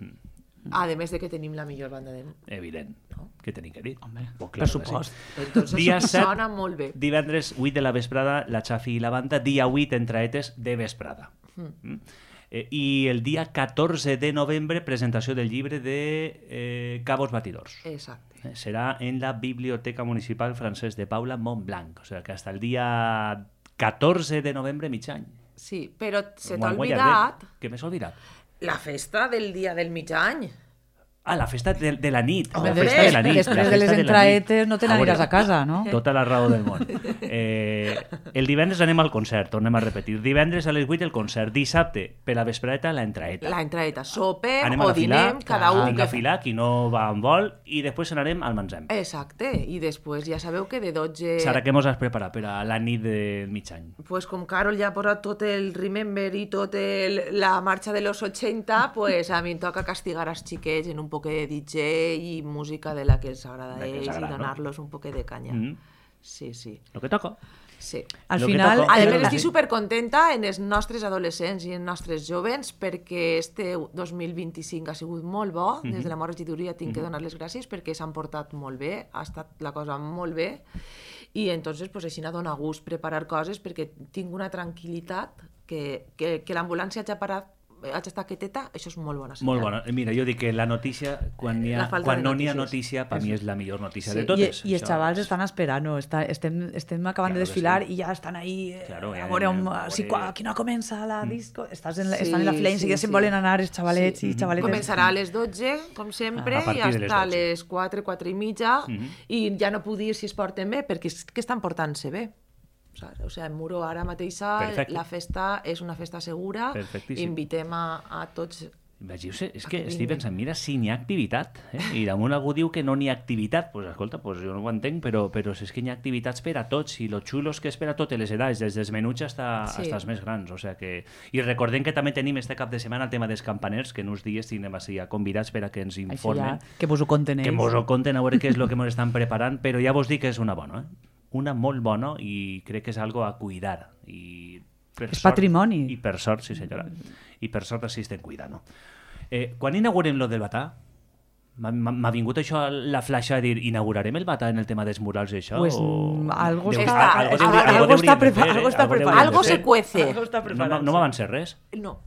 A més de que tenim la millor banda del... Evident. Què tenim que dir? Home, Pues per claro que sí. supost. Entonces Dia set, sona molt bé. divendres vuit de la vesprada, la Xafi i la banda. Dia vuit, entraetes de vesprada. Mm. Eh, I el dia catorze de novembre, presentació del llibre de eh, Cabos Batidors. Exacte. Eh, serà en la Biblioteca Municipal Francesc de Paula, Montblanc. O sea que hasta el dia catorze de novembre, mig any. Sí, però se t'ha Enguany olvidat Què m'he oblidat? la festa del dia del mig any. Ah, la festa de, de la nit. Home, la festa de la nit. després la de les festa la nit. entraetes no te A n'aniràs veure, a casa, no? Tota la raó del món. Eh, el divendres anem al concert, tornem a repetir. Divendres a les vuit el concert. Dissabte, per la vespreta, la entraeta. La entraeta. Sopem Anem a o la fila, dinem, cada un... vinga a que- filar, qui no va en vol, i després anarem al Manzem. Exacte. I després ja sabeu que de dotze... Sara, què mos has preparat per a la nit del mig any? Pues com Carol ja ha posat tot el Remember i tot el, la marxa de los ochenta, pues a mi em toca castigar als xiquets en un poc de D J i música de la que els agrada a La que els ells agrada, i no? donar-los un poc de canya. Mm. Sí, sí. Lo que toca. Sí. Al Lo que final... toca- A Eh, més, eh, estic supercontenta en els nostres adolescents i en els nostres jovens perquè este dos mil vint-i-cinc ha sigut molt bo. Des de la meva regidoria tinc que donar les gràcies perquè s'han portat molt bé, ha estat la cosa molt bé i entonces pues, així dona gust preparar coses perquè tinc una tranquil·litat que, que, que l'ambulància hagi parat haig d'estar quieteta, això és molt bona senyal. Molt bona. Mira, jo dic que la notícia, quan, n'hi ha, La falta quan de no n'hi ha notícies. notícia, per mi és la millor notícia Sí. de I, totes. I els Això xavals és- estan esperant, està, estem, estem acabant Claro de que desfilar sí. i ja estan ahí eh, Claro, ja a veure, anem on, a si, veure- quan, aquí no comença la disco, estàs en la, Sí, estan en la fila i sí, enseguida sí. se'n volen anar els xavalets i xavaletes. Començarà a les dotze, com sempre, A partir i de les hasta dotze. les quatre, quatre i mitja, i ja no puc dir si es porten bé, perquè és que estan portant-se bé. Saps? O sigui, en Muro ara mateixa Perfecte. la festa és una festa segura, Perfectíssim. invitem a, a tots... Imagino-se, és que que estic vinguin. pensant, mira si n'hi ha activitat, eh? I damunt algú diu que no n'hi ha activitat, pues escolta, pues jo no ho entenc, però, però si és que n'hi ha activitats per a tots, i lo xulo és que és per a totes les edats, des dels menuts hasta, Sí. hasta els més grans, o sea que... I recordem que també tenim este cap de setmana el tema dels campaners, que en uns dies tindrem així a convidats per a que ens Això informen, ja, que vos ho conten ells. que mos ho conten a veure què és el que mos estan preparant, però ja vos dic que és una bona, eh? Una molt bona i crec que és algo a cuidar. I per És sort- patrimoni. I per sort, sí senyora. I per sort així estem cuidant, no? Eh, quan inaugurem lo del Batà, m'ha- m'ha m'ha vingut això a la flasha de dir inaugurarem el Batà en el tema dels murals i això? Pues, o... mm, algo Deu- està- algo algo- deuria- algo algo està deuríem de prepa- fer, algo eh? està Algo preparat. deuríem Algo de se fer. cuece. Algo està No, preparat. m'ha- no m'avances res? No,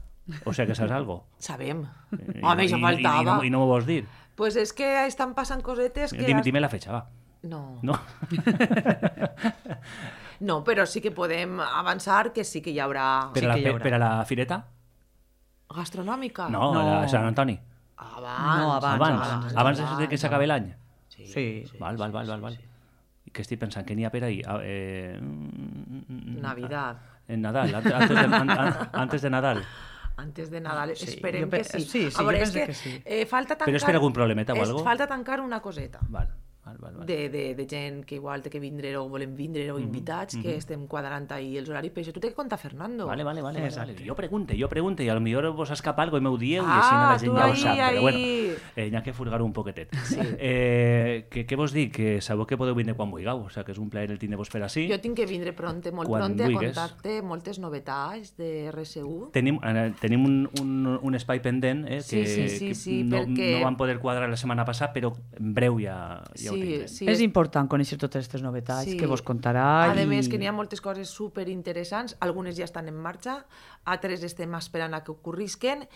O sea que saps algo? sabem. I, Home, i, això i, faltava. I, no, I no m'ho vols dir? Pues és que estan passant cosetes que... Dime, has- dime la fecha, va. No. No? no, però sí que podem avançar que sí que hi haurà Per, Sí a la, que hi per, haurà. per a la fireta? gastronòmica. No, No. a la Sant Antoni. Abans, No, abans, Abans, abans, de que s'acabi l'any. Sí. Sí. Val, val, val, val, val. I què estic pensant? Que n'hi ha per ahir? Ah, Eh... mm, Navidad. En Nadal, antes, antes, de, an- an- antes de Nadal. Antes de Nadal, Sí, esperem jo pe- que sí. sí, sí, A veure, jo és penso que, que sí. eh, falta tancar... Però és per algun problemeta o és- algo? Falta tancar una coseta. Val, val, val, val. De, de, de gent que igual té que vindre o volem vindre o invitats, que estem quadrant ahir els horaris, però això tu té que contar Fernando. Vale, vale, vale, vale, Exacte. vale. Jo pregunte, jo pregunte, i potser vos escapa algo i m'ho dieu, i Ah, així la gent tu ja ho ahí, sap, però ahí. bueno, eh, n'hi ha que furgar un poquetet. Sí. Eh, que, què vos dic? Que sabeu que podeu vindre quan vulgueu, o sigui que és un plaer el tindre-vos per així. Jo tinc que vindre pronte, molt Quan pronte, a vulgues. contar-te moltes novetats de R S U. Tenim, eh, tenim un, un, un espai pendent eh, Sí, que, sí, sí, que sí, no, perquè- no vam poder quadrar la setmana passada, però en breu ja, ja ho Sí, tindrem. sí, És important conèixer totes aquestes novetats Sí. que vos contarà. A i... més, que n'hi ha moltes coses super interessants, algunes ja estan en marxa, altres estem esperant a que ocorrisquen,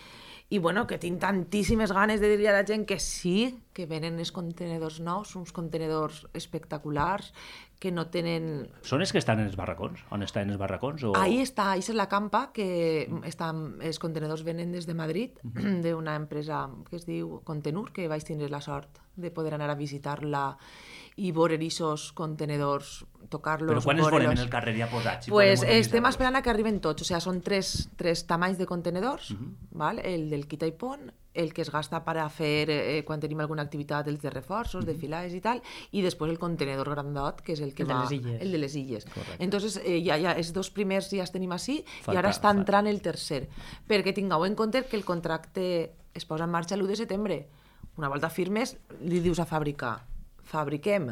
i bueno, que tinc tantíssimes ganes de dir a la gent que sí, que venen els contenedors nous, uns contenedors espectaculars, que no tenen... Són els que estan en els barracons? On estan els barracons? O... Ahí està, ahí és la campa, que estan, els contenedors venen des de Madrid, d'una empresa que es diu Contenur, que vaig tindre la sort de poder anar a visitar-la i veure aquests contenedors, tocar-los... Però quan els volem en el carrer ja posats? Si pues estem esperant a que arriben tots, o sigui, són tres, tres tamanys de contenedors, Uh-huh. val? El del quita i pon, el que es gasta per a fer eh, quan tenim alguna activitat, els de reforços, de filades i tal, i després el contenedor grandot, que és el que El de va... les illes. El de les illes. Correcte. Entonces, eh, ja, ja, els dos primers ja els tenim així, Falta- i ara està fa- entrant el tercer. Perquè tingueu en compte que el contracte es posa en marxa l'u de setembre. Una volta firmes, li dius a fàbrica, fabriquem,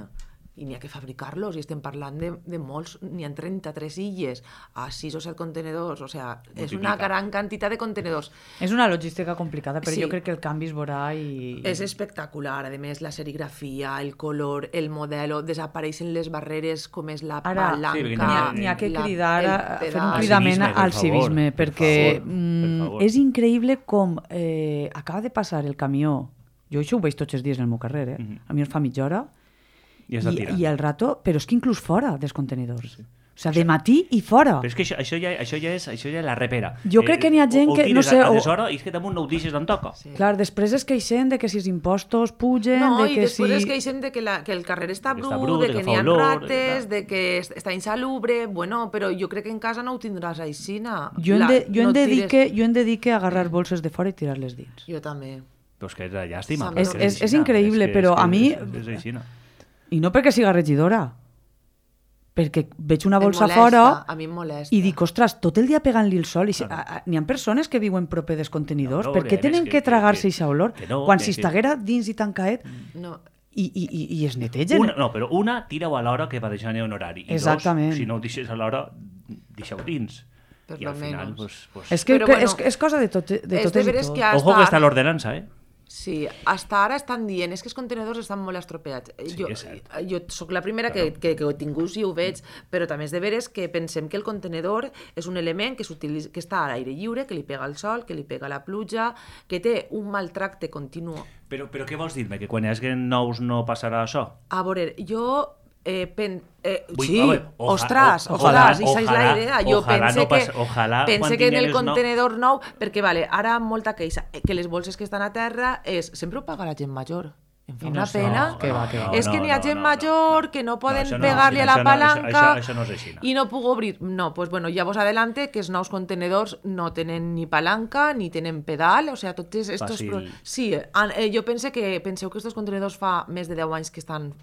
i n'hi ha que fabricar-los, i estem parlant de, de molts, n'hi ha trenta-tres illes, a sis o set contenedors, o sigui, és una Multiplica. gran quantitat de contenedors. És una logística complicada, però Sí. jo crec que el canvi es veurà i... És espectacular, a més, la serigrafia, el color, el modelo, desapareixen les barreres com és la Ara, palanca... Sí, perquè N'hi ha, la- n'hi ha que la- cridar, el a, fer un pedal. Al cridament civisme, per al favor, civisme, per perquè favor, per mm, favor. és increïble com eh, acaba de passar el camió. Jo això ho veig tots els dies en el meu carrer, eh? Mhm. A mi em fa mitja hora, I has de i, tirar. i el rato, però és que inclús fora dels contenidors. O sigui, de matí i fora. Però és que això, això, ja, això, ja és, això ja és la repera. Jo crec que n'hi ha gent o, o que, no tires sé, a, a o- deshora i és que damunt no ho deixes d'on toca. Sí. Clar, després es queixen de que si els impostos pugen, No, de i que després si... es queixen de que, la, que el carrer està Que brut, està brut, de de que que n'hi fa ha olor, rates, clar. de que es- està insalubre... Bueno, però jo crec que en casa no ho tindràs aixina. Jo hem La- de, jo no hem de dir tires- que, jo hem de dir que agarrar bolses de fora i tirar-les dins. Jo també. Però és que és de llàstima. És- perquè és- és aixina. increïble, És que- però és que a mi- És, és aixina. I no perquè siga regidora, perquè veig una Em bolsa molesta, fora a mi em molesta. i dic, ostres, tot el dia pegant-li el sol. I si, a, a, n'hi ha persones que viuen proper dels contenidors. No, no, per què a més tenen que- que, que- tragar-se que- aquesta olor? que no, Quan que- si que- estiguera dins i tancaet No, i, i, i, i es netegen. Una, no, però una, tira-ho a l'hora que va deixar en horari. I Exactament. dos, si no ho deixes a l'hora, deixa-ho dins. Per I lo al final, menos. pues, pues... És que, Però que bueno, és, és cosa de, tot, de és de totes i veres tots. que hasta Ojo que està ara- l'ordenança, eh? Sí, hasta ara estan dient és que els contenedors estan molt estropeats. Sí, jo, és cert. jo sóc la primera que, que, que ho he tingut i ho veig, però també és de veres que pensem que el contenedor és un element que, s'utilitza- que està a l'aire lliure, que li pega el sol, que li pega la pluja, que té un maltracte continu. Però, però què vols dir-me? Que quan hi hagi nous no passarà això? A veure, jo... Eh, pen, eh, Vull- sí, a veure, oja- ostres, o- ostres, ojalà- esa és la ojalà- idea. Jo ojalà pense no que, pas- ojalà pense quan que en el tinguem els no- contenedor nou, perquè vale, ara molta queixa, eh, que les bolses que estan a terra és, sempre ho paga la gent major. Em fa I no una sé, pena. no, que va, que va. És que no, n'hi ha no, gent no, major no. que no No, poden això no, pegar-li a la això no, això- palanca això- això no és així, no. i no puc obrir. No, pues bueno, ja vos adelante que els nous contenedors no tenen ni palanca ni tenen pedal, o sea, tots estos... Fàcil. Pro... Sí, an- eh, jo pense que penseu que estos contenedors fa més de deu anys que estan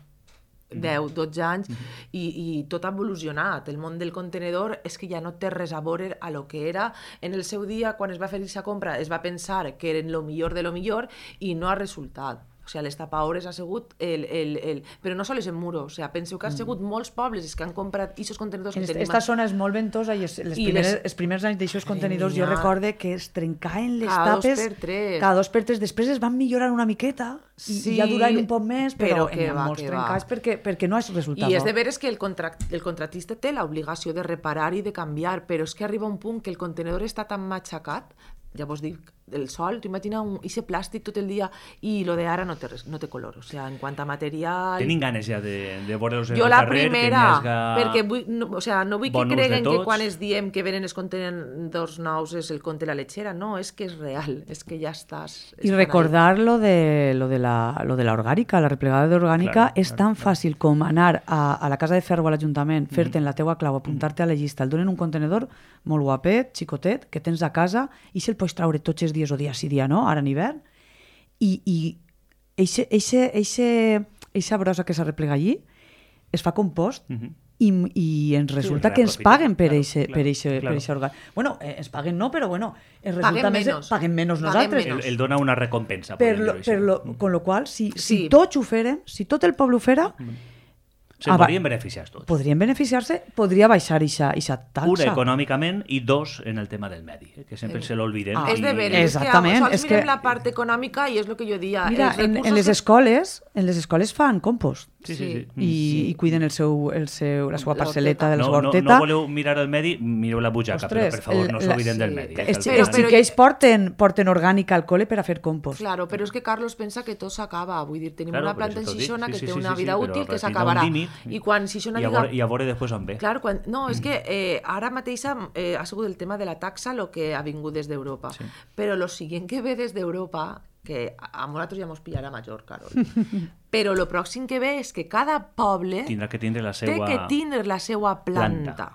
deu, dotze anys, i, i tot ha evolucionat. El món del contenedor és que ja no té res a veure a lo que era. En el seu dia, quan es va fer aquesta compra, es va pensar que eren lo millor de lo millor i no ha resultat. O sigui, les tapaores ha sigut el, el, el... Però no sols en muro, o sigui, penseu que ha sigut molts pobles els que han comprat aquests contenidors que tenim... Esta zona és molt ventosa i es, les I primeres, les- els primers anys d'aixòs contenidors jo Genial. recorde que es trencaven les Cada dos tapes per tres. cada dos per tres. Després es van millorar una miqueta i, Sí, i ja duraven un poc més, però, però que n'hi ha va, molts que trencats va. perquè, perquè no és resultat. I és de veres que el, contract, el contractista té l'obligació de reparar i de canviar, però és que arriba un punt que el contenedor està tan matxacat, ja vos dic, el sol, tu imagina un, ese plàstic tot el dia i lo de ara no té, res, no té color, o sigui, en quant a material... Tenim ganes ja de, de veure'ls en Jo el la carrer, primera, que n'hi hagi... perquè vull, no, o sea, no vull que bon ús de creguen que tots. quan es diem que venen els contenedors nous és el conte la lechera, no, és que és real, és que ja estàs... I estan recordar lo de, lo de la, lo de la orgànica, la replegada d'orgànica, Claro, és claro, tan claro. fàcil com anar a, a la casa de ferro a l'Ajuntament, fer-te en la teua clau, apuntar-te a la llista, el donen un contenedor molt guapet, xicotet, que tens a casa, i se'l pots traure tots els dies o dia sí, dia no, ara en hivern, i, i eixe, eixe, eixe, eixa brossa que s'arreplega allí es fa compost Mhm. i, i ens resulta Sí, que ens reaprofita, paguen per claro, eixe, claro, per eixe, claro. per eixe orgànic. Bueno, eh, ens paguen no, però bueno, ens resulta Paguen més, menos. paguen menys Paguen nosaltres. menos. El, el dona una recompensa. Per podríem lo, dir-ho per així. lo, con lo qual, si, si Sí. tots ho feren, si tot el poble ho fera, Se Ah, va. podrien beneficiar tots. podrien beneficiar-se, podria baixar aquesta taxa. Una, econòmicament, i dos, en el tema del medi, eh, que sempre se l'olviden. Ah, És de I- veres, Exactament, és que sols és que- mirem la part econòmica i és el que jo dia. Mira, els en, recursos en les que- escoles, en les escoles fan compost. Sí, sí, sí. I, i cuiden el seu, el seu, la seva La parcel·leta de la No, seva no, horteta. no voleu mirar el medi, mireu la butxaca, però per favor, no s'obliden del medi. eh, Els, que sí, al els final- xiquets porten, porten orgànica al col·le per a fer compost. Claro, però és que Carlos pensa que tot s'acaba. Vull dir, tenim Claro, una però planta en això t'ho dic. Xixona Sí, que sí, té sí, una sí, vida però útil que tindrà un s'acabarà. límit. I quan Xixona I a diga... veure, i a veure després on ve. Clar, quan... No, és que eh, ara mateix eh, ha sigut el tema de la taxa el que ha vingut des d'Europa. Sí. Però lo siguiente que ve des d'Europa, que a nosaltres ja mos pillarà major, Carol, però lo pròxim que ve és que cada poble Tindrà que tindre la té seva... que tindre la seva planta. planta.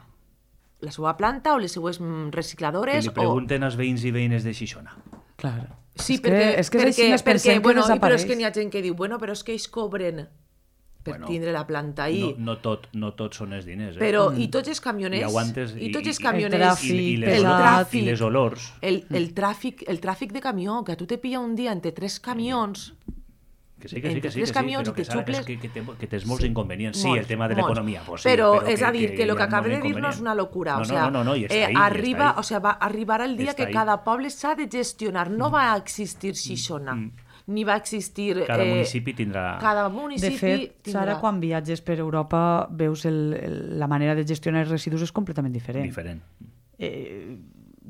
La seva planta o les seues mm, Que recicladores li pregunten als veïns i veïnes de Xixona. Clar. Sí, és perquè, que, és que és perquè, així, ens perquè, pensem bueno, que i però és desapareix. que n'hi ha gent que diu, bueno, però és que ells cobren per Bueno, tindre la planta ahí. No, no, tot, no tot són els diners, eh? Però, i tots els I camioners, aguantes... i tots els el camioners, tràfic, i, i, les, el olors, tràfic, i les olors. el, el, tràfic, el tràfic de camió, que a tu te pilla un dia entre tres camions, Que sí, que sí, entre que sí, tres que sí, camions però i que, te Sara, que, és xuples- que, que, té, que tens molts Sí, inconvenients. Sí, molts, el tema de molts. l'economia, pues sí, però, però és a dir, que hi lo que ha acaba molts de dir no és inconvenients. una locura. No, o sea, no, no, no, i està eh, ahí, i està arriba, ahí. o sea, va arribar el I dia està que ahí. cada poble s'ha de gestionar. No va existir Xixona, ni va existir... Cada eh, municipi tindrà... Cada De municipi fet, tindrà... Sara, quan viatges per Europa veus el, el, la manera de gestionar els residus és completament diferent. diferent. Eh,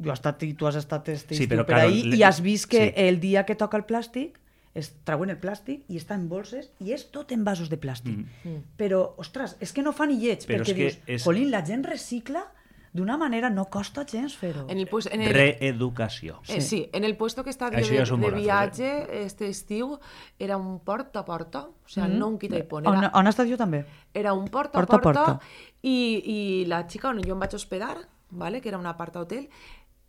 jo he estat, i tu has estat este Sí, estiu però, per claro, ahí, le- i has vist que sí. el dia que toca el plàstic es treuen el plàstic i està en bolses i és tot en vasos de plàstic. Mm. Però, ostres, és que no fa ni lleig, Però perquè és que dius, és- jolín, la gent recicla d'una manera, no costa gens fer-ho. En el, pues, en el, Reeducació. Eh, sí, en el puesto que estava Això de, ja són de molt viatge este estiu era un porta a porta, o sea, Mm. no un quita i pon. On, Era, on has estat jo també? era un porta a Porta a porta, porta. I, i la xica on jo em vaig hospedar, ¿vale? Que era un aparta hotel,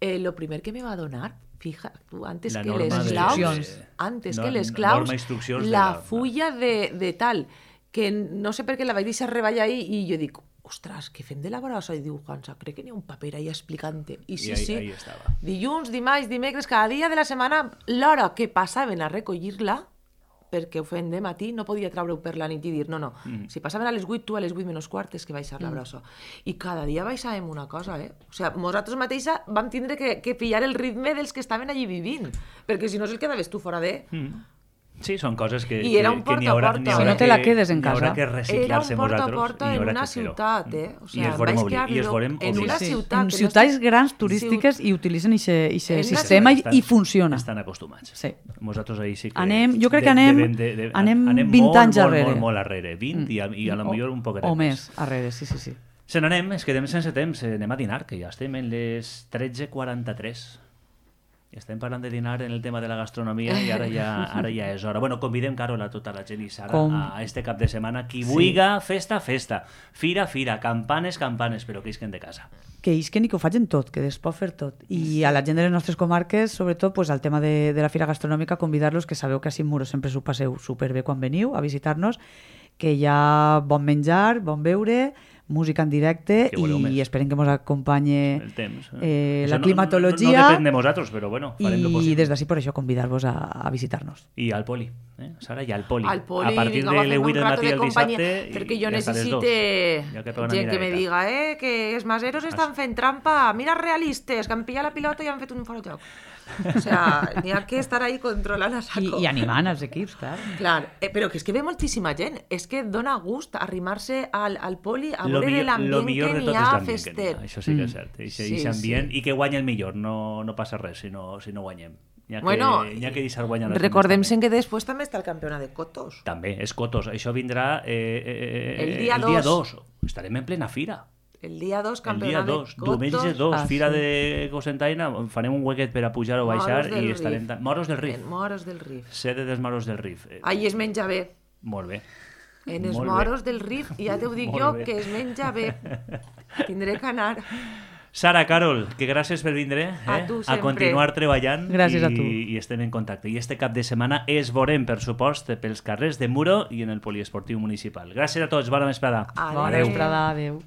eh, lo primer que me va a donar, fija, tu, antes La que norma les de- claus, Instruccions. antes No- que les norma claus, instruccions de la la- fulla de, de tal, que no sé per què la vaig deixar reballar ahí i jo dic, ostres, què fem de la brossa? I diu, Juansa, crec que n'hi ha un paper ahí explicant-te. I sí, I ahí- sí, ahí estava. dilluns, dimarts, dimecres, cada dia de la setmana, l'hora que passaven a recollir-la, perquè ho feien de matí, no podia treure-ho per la nit i dir, no, no, mm. si passaven a les vuit, tu a les vuit menys quart és que baixar la brossa. I cada dia baixàvem una cosa, eh? O sigui, nosaltres mateixa vam tindre que, que pillar el ritme dels que estaven allí vivint, perquè si no se'l quedaves tu fora de... Mm. Sí, són coses que, I era que, un que n'hi porta a haurà, porta. n'hi Si haurà no te la que- quedes en n'hi haurà casa. que Era un reciclar-se porta a vosaltres porta i n'hi en haurà una que fer-ho. ciutat, eh? O I sigui, es veurem, vaig obli- quedar i es veurem en una obligats. ciutat... En que no ciutats estic- grans turístiques i utilitzen aquest En una sistema i, Estan- i funciona. Estan acostumats. Sí. Nosaltres ahir sí que... Anem- jo crec que anem- anem vint molt, anys molt, arrere. Molt, molt arrere. vint i a, i a lo millor un poquet O més, arrere, sí, sí, sí. Se n'anem, es quedem sense temps, eh, anem a dinar, que ja estem en les tretze quaranta-tres. Estem parlant de dinar en el tema de la gastronomia i ara ja, ara ja és hora. Bueno, convidem, Carol, a tota la gent i Sara Com- a este cap de setmana. Qui vulga, festa, festa. Fira, fira. Campanes, campanes, però que isquen de casa. Que isquen i que ho facin tot, que es pot fer tot. I a la gent de les nostres comarques, sobretot, pues, al tema de, de la Fira Gastronòmica, convidar-los, que sabeu que a Cinc Muros sempre s'ho passeu superbé quan veniu a visitar-nos, que hi ha bon menjar, bon beure, música en directe Que voleu més. i esperem que ens acompanyi El temps. eh, Això la no- climatologia No, no depèn de nosaltres, però bueno, farem lo i possible. des d'ací per això convidar-vos a, a visitar-nos. I al poli, eh? Sara, i al poli. Al poli, a partir vinga, de va les fent vuit un del rato matí de el companyia, dissabte perquè i jo hasta les necessite dos. Ja que pega una gent que me miradeta. diga eh, que els maseros estan fent trampa, mira realistes, que han pillat la pilota i han fet un fora de joc. O sea, n'hi ha que estar ahí controlant a I, saco. i animant els equips, clar. Clar, eh, però que és que ve moltíssima gent, és que dona gust arrimar-se al, al poli a Lo veure millor, lo l'ambient millor que de n'hi tot és ha l'ambient que n'hi fester. ha. Això sí que és Mm. cert. Ixe, Sí, ixe ambient, sí. i que guanya el millor, no, no passa res si no, si no guanyem. N'hi ha, Bueno, que, n'hi ha que deixar guanyar les Recordem temes que després també està el campionat de cotos. també. També, és cotos. Això vindrà eh, eh, El dia el dia dos. dos. Estarem en plena fira. El dia dos, El dia campionat dos, de cotos. diumenge dos, Ah, fira sí. de Cosentaina, farem un huequet per a pujar o baixar Moros del i estarem... Rif. tan- Moros del Rif. En Moros del Rif. Sede dels Moros del Rif. Eh, Ahí es menja bé. Molt bé. En els Molt bé. Moros del Rif, ja t'ho dic Molt jo, bé. que es menja bé. Tindré que anar. Sara, Carol, que gràcies per vindre eh? A tu a sempre. continuar treballant Gràcies i, a tu. i estem en contacte. I este cap de setmana es veurem, per supost, pels carrers de Muro i en el poliesportiu municipal. Gràcies a tots, bona vesprada. Adéu. Bona vesprada, adéu.